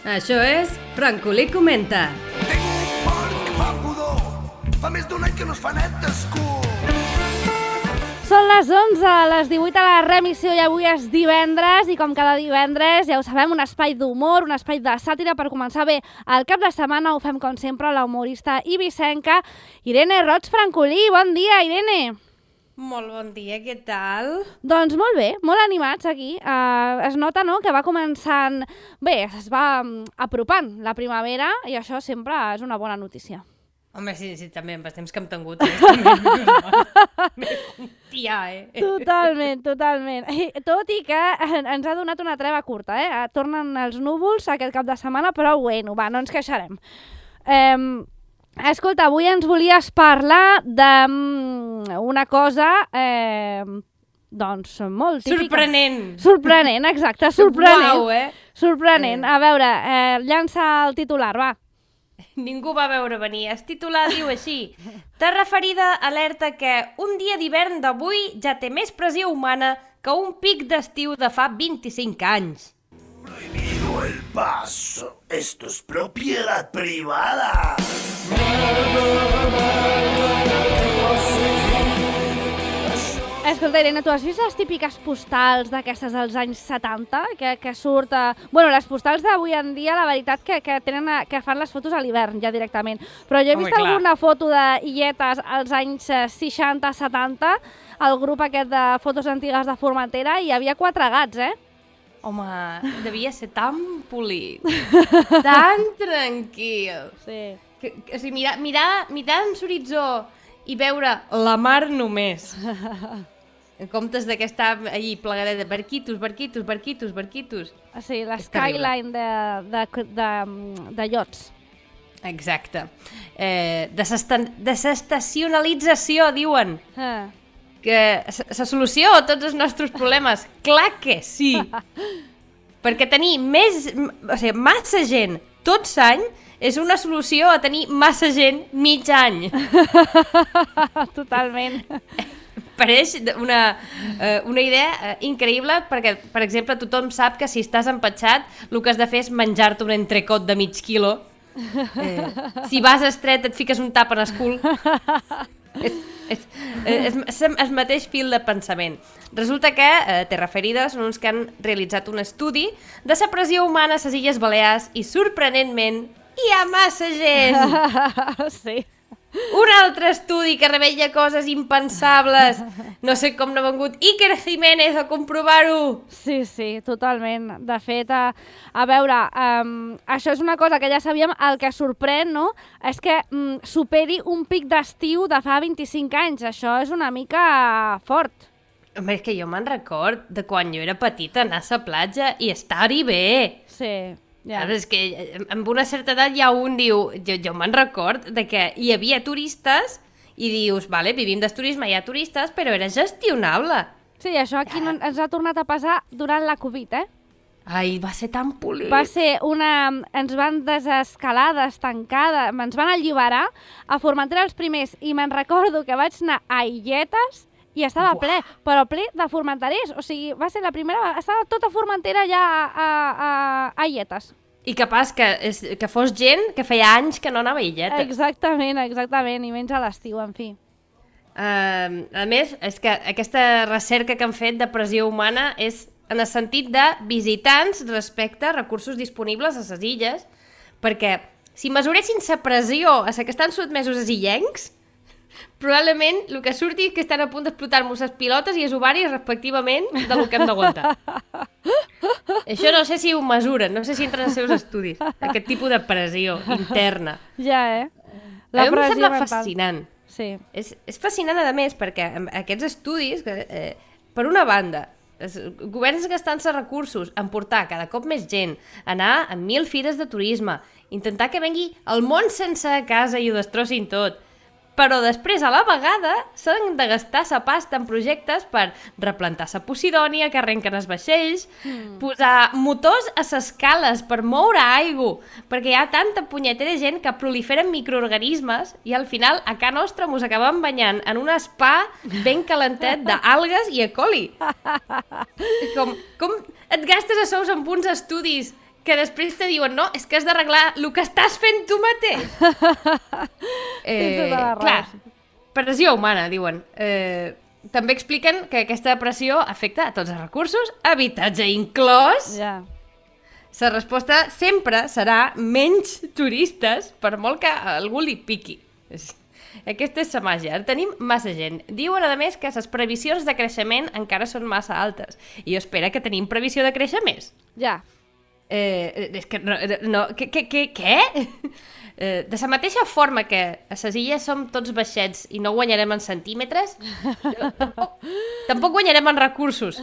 Això és Francolí Comenta. Tinc un porc que fa pudor. Fa més d'un any que no es fa net d'escur. Són les 11, les 18 a la remissió i avui és divendres i com cada divendres, ja ho sabem, un espai d'humor, un espai de sàtira per començar bé el cap de setmana. Ho fem com sempre la humorista ibicenca Irene Roig Francolí. Bon dia, Irene! Molt bon dia, què tal? Doncs molt bé, molt animats aquí. Es nota, no?, que va començant... Bé, es va apropant la primavera i això sempre és una bona notícia. Home, sí, també, amb els temps que hem tingut. Totalment. Tot i que ens ha donat una treva curta, Tornen els núvols aquest cap de setmana, però bueno, va, no ens queixarem. Escolta, avui ens volies parlar d'una cosa, doncs, molt típica. Sorprenent, exacte, sorprenent. Uau, Sorprenent. A veure, llança el titular, va. Ningú va veure venir. El titular diu així: Terra ferida alerta que un dia d'hivern d'avui ja té més pressió humana que un pic d'estiu de fa 25 anys. Prohibido el paso. Esto es propiedad privada. Escolta, Irene, tu has vist les típiques postals d'aquestes dels anys 70? Que surt... Bueno, les postals d'avui en dia, la veritat, que fan les fotos a l'hivern, ja directament. Però jo he vist alguna foto d'illetes als anys 60-70, el grup aquest de fotos antigues de Formentera, i hi havia 4 gats, Home, devia ser tan polit, tan tranquil. Sí. O sigui, mirar en l'horitzó i veure la mar només. En comptes d'aquesta allí plegadeta, barquitos. Sí, la skyline de iots. Exacte. Desestacionalització, diuen. Que la solució a tots els nostres problemes. Clar que sí. Perquè tenir massa gent tot l'any és una solució a tenir massa gent mig any. Totalment. Pareix una idea increïble perquè, per exemple, tothom sap que si estàs empatxat el que has de fer és menjar-te un entrecot de mig quilo. Si vas estret et fiques un tap en el cul. És el mateix fil de pensament. Resulta que Terra Ferida són uns que han realitzat un estudi de la pressió humana a les Illes Balears i, sorprenentment, hi ha massa gent. Sí. Un altre estudi que revela coses impensables. No sé com no ha vengut Iker Jiménez a comprovar-ho. Sí, totalment. De fet, a veure, això és una cosa que ja sabíem. El que sorprèn, no?, és que superi un pic d'estiu de fa 25 anys. Això és una mica fort. Home, és que jo me'n record de quan jo era petita anar a la platja i estar-hi bé. Sí. Ja. És que amb una certa edat ja un diu, jo me'n record de que hi havia turistes i dius, vale, vivim del turisme, hi ha turistes, però era gestionable. Sí, això aquí ens ha tornat a passar durant la Covid, Ai, va ser tan polit. Va ser ens van desescalar, destancar, ens van alliberar a Formentera els primers i me'n recordo que vaig anar a Illetes i estava ple, però ple de formenterers. O sigui, va ser la primera... Estava tota Formentera ja a Illetes. I capaç que fos gent que feia anys que no anava a Illetes. Exactament, i menys a l'estiu, en fi. A més, és que aquesta recerca que han fet de pressió humana és en el sentit de visitants respecte a recursos disponibles a les illes, perquè si mesuressin la pressió a la que estan sotmesos els illencs, probablement el que surti és que estan a punt d'explotar-nos les pilotes i els ovaris respectivament del que hem d'aguantar. Això no sé si ho mesuren, no sé si entren als seus estudis, aquest tipus de pressió interna. Ja, A mi em sembla fascinant. Sí. És fascinant, a més, perquè aquests estudis, per una banda, els governs gastant-se recursos en portar cada cop més gent, anar a 1.000 fires de turisme, intentar que vengui el món sense a casa i ho destrossin tot, però després, a la vegada, s'han de gastar sa pasta en projectes per replantar sa Posidònia, que arrenquen els vaixells, posar motors a ses cales per moure aigua, perquè hi ha tanta punyetera gent que proliferen microorganismes i al final a casa nostra mos acabem banyant en un spa ben calentet d'algues i E. coli. Com et gastes a sous en uns estudis que després te diuen, no, és que has d'arreglar el que estàs fent tu mateix. Clar, pressió humana, diuen. També expliquen que aquesta pressió afecta a tots els recursos, habitatge inclòs. Ja. La resposta sempre serà menys turistes, per molt que a algú li piqui. Aquesta és la màgia. Tenim massa gent. Diuen, a més, que les previsions de creixement encara són massa altes. I jo espero que tenim previsió de créixer més. Ja. És que no què? De la mateixa forma que a les illes som tots baixets i no guanyarem en centímetres, tampoc guanyarem en recursos.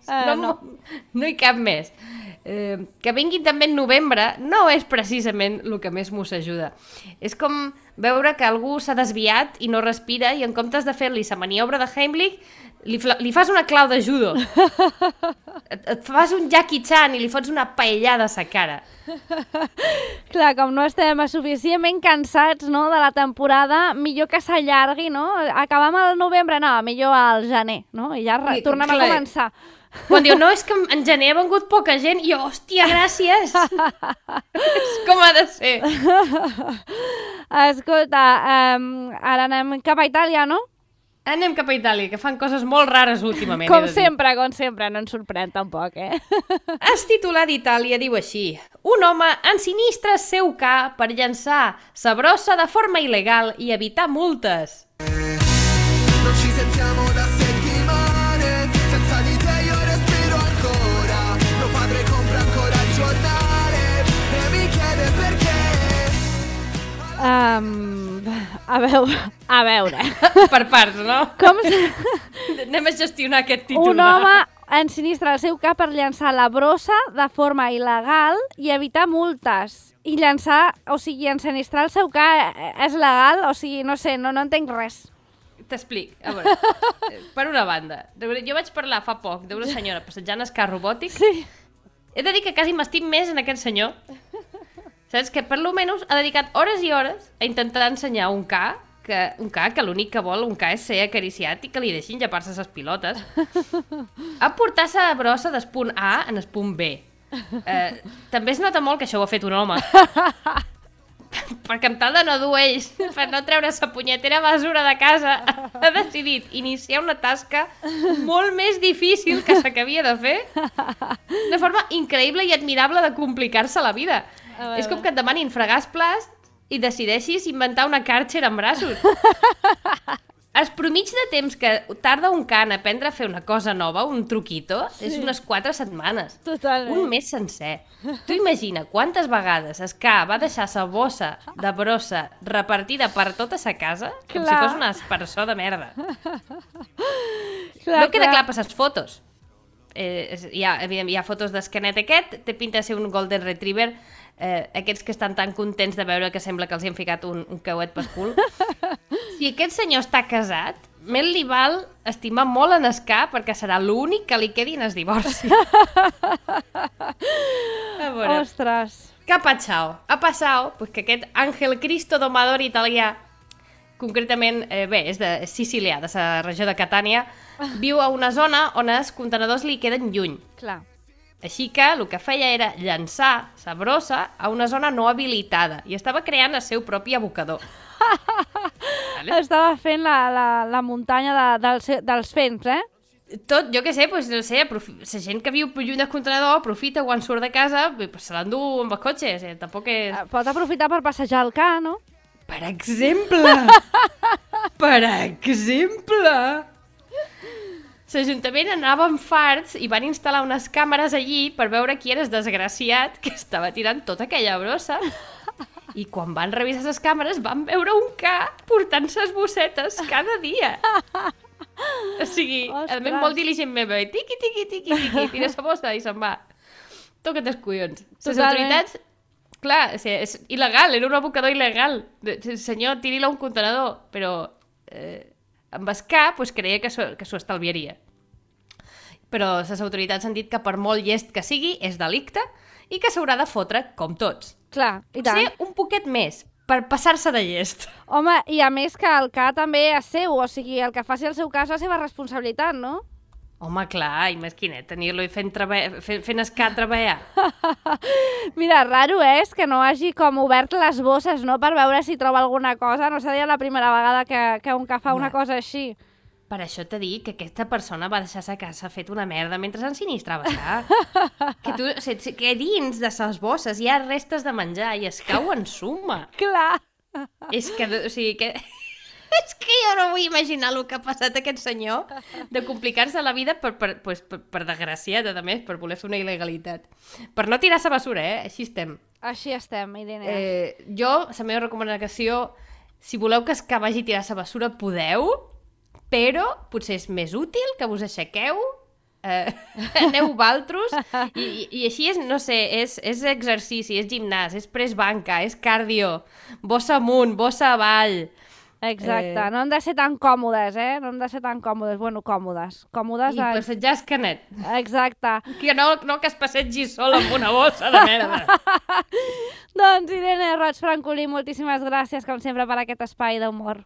No hi cap més. Que vinguin també en novembre no és precisament el que més mos ajuda. És com veure que algú s'ha desviat i no respira i en comptes de fer-li la maniobra de Heimlich li fas una clau de judo. Et fas un Jackie Chan i li fots una paellada a la cara. Clar, com no estem suficientment cansats, no, de la temporada, millor que s'allargui, no? Acabam al novembre, no, millor al gener, no? I ja tornem a començar. Quan diu, no, és que en gener ha vengut poca gent, i jo, hòstia, gràcies! És com ha de ser. Escolta, ara anem cap a Itàlia, no? Anem cap a Itàlia, que fan coses molt rares últimament. Com sempre, no ens sorprèn tampoc, El titular d'Itàlia diu així: un home ensinistra el seu ca per llançar sa brossa de forma il·legal i evitar multes. Non ci sentiamo da settimane, senza di te io respiro ancora. Mio padre compra ancora il giornale e mi chiede perché. A veure. Per parts, no? Com Anem a gestionar aquest titular. un home ensinistra el seu cap per llançar la brossa de forma il·legal i evitar multes. I llançar, o sigui, ensinistrar el seu cap és legal? O sigui, no sé, no entenc res. T'explic. A veure, per una banda, jo vaig parlar fa poc d'una senyora passejant el carro robòtic. Sí. He de dir que quasi m'estim més en aquest senyor. Saps? Que per lo menys ha dedicat hores i hores a intentar ensenyar un ca que l'únic que vol un ca és ser acariciat i que li deixin llepar-se les pilotes. A portar la brossa del punt A en el punt B. També es nota molt que això ho ha fet un home. Perquè amb tal de no dur ells, per no treure la punyetera basura de casa, ha decidit iniciar una tasca molt més difícil que la que havia de fer, de forma increïble i admirable de complicar-se la vida. És com que et demanin fregar el plast i decideixis inventar una Karcher en braços. El promig de temps que tarda un ca en aprendre a fer una cosa nova, un truquito, és unes 4 setmanes. Totalment. Un mes sencer. Tu imagina quantes vegades el ca va deixar la bossa de brossa repartida per tota sa casa, com si fos una aspersor de merda. No queda clar per les fotos. Hi ha fotos d'esquenet aquest, té pinta de ser un golden retriever, aquests que estan tan contents de veure que sembla que els hi han ficat un cauet pel cul. Si aquest senyor està casat, més li val estimar molt en el ca perquè serà l'únic que li quedi en el divorci. A veure. Ostres. Què ha passat? Ha passat que aquest Ángel Cristo domador italià, concretament, és sicilià, de la regió de Catània, viu a una zona on els contenedors li queden lluny. Clar. Així que el que feia era llançar la brossa a una zona no habilitada i estava creant el seu propi abocador. Vale? Estava fent la muntanya dels fens, Tot, jo què sé, no sé, la gent que viu lluny del contenedor aprofita quan surt de casa, se l'endú amb el cotxe, tampoc és... Pot aprofitar per passejar el ca, no? Per exemple! Per exemple! L'Ajuntament anava amb farts i van instal·lar unes càmeres allí per veure qui era el desgraciat que estava tirant tota aquella brossa. I quan van revisar les càmeres van veure un ca portant ses bossetes cada dia. O sigui, a més molt diligentment, tiqui, tiqui, tiqui, tiqui, tira la bossa i se'n va. Toca't els collons. Les autoritats, clar, és il·legal, era un abocador il·legal. Senyor, tiri-la a un contenedor, però amb el ca creia que s'ho estalviaria. Però les autoritats han dit que per molt llest que sigui, és delicte i que s'haurà de fotre com tots. Clar, i tant. Potser un poquet més, per passar-se de llest. Home, i a més que el ca també és seu, o sigui, el que faci el seu cas és la seva responsabilitat, no? Home, clar, imagina't, tenir-lo fent escat treballar. Mira, raro és que no hagi com obert les bosses, no?, per veure si troba alguna cosa. No seria la primera vegada que un que fa una cosa així. Per això t'he dit que aquesta persona va deixar sa casa fet una merda mentre ensinistrava sac. Que dins de ses bosses hi ha restes de menjar i es cau en suma. Clar. És que, o sigui, que... És que jo no vull imaginar el que ha passat a aquest senyor de complicar-se la vida per desgraciat, a més, per voler fer una il·legalitat. Per no tirar-se bessura, Així estem. Així estem, Irene. Jo, la meva recomanació, si voleu que es vagi a tirar-se bessura, podeu, però potser és més útil que vos aixequeu, aneu valtros, i així és, no sé, és exercici, és gimnàs, és press banca, és cardio, bossa amunt, bossa avall. Exacte, no hem de ser tan còmodes, no hem de ser tan còmodes, bueno, còmodes. I passejar escanet. Exacte. Que no que es passegi sol amb una bossa de merda. Doncs Irene Roig Francolí, moltíssimes gràcies, com sempre, per aquest espai d'humor.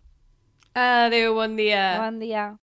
Adéu, bon dia. Bon dia.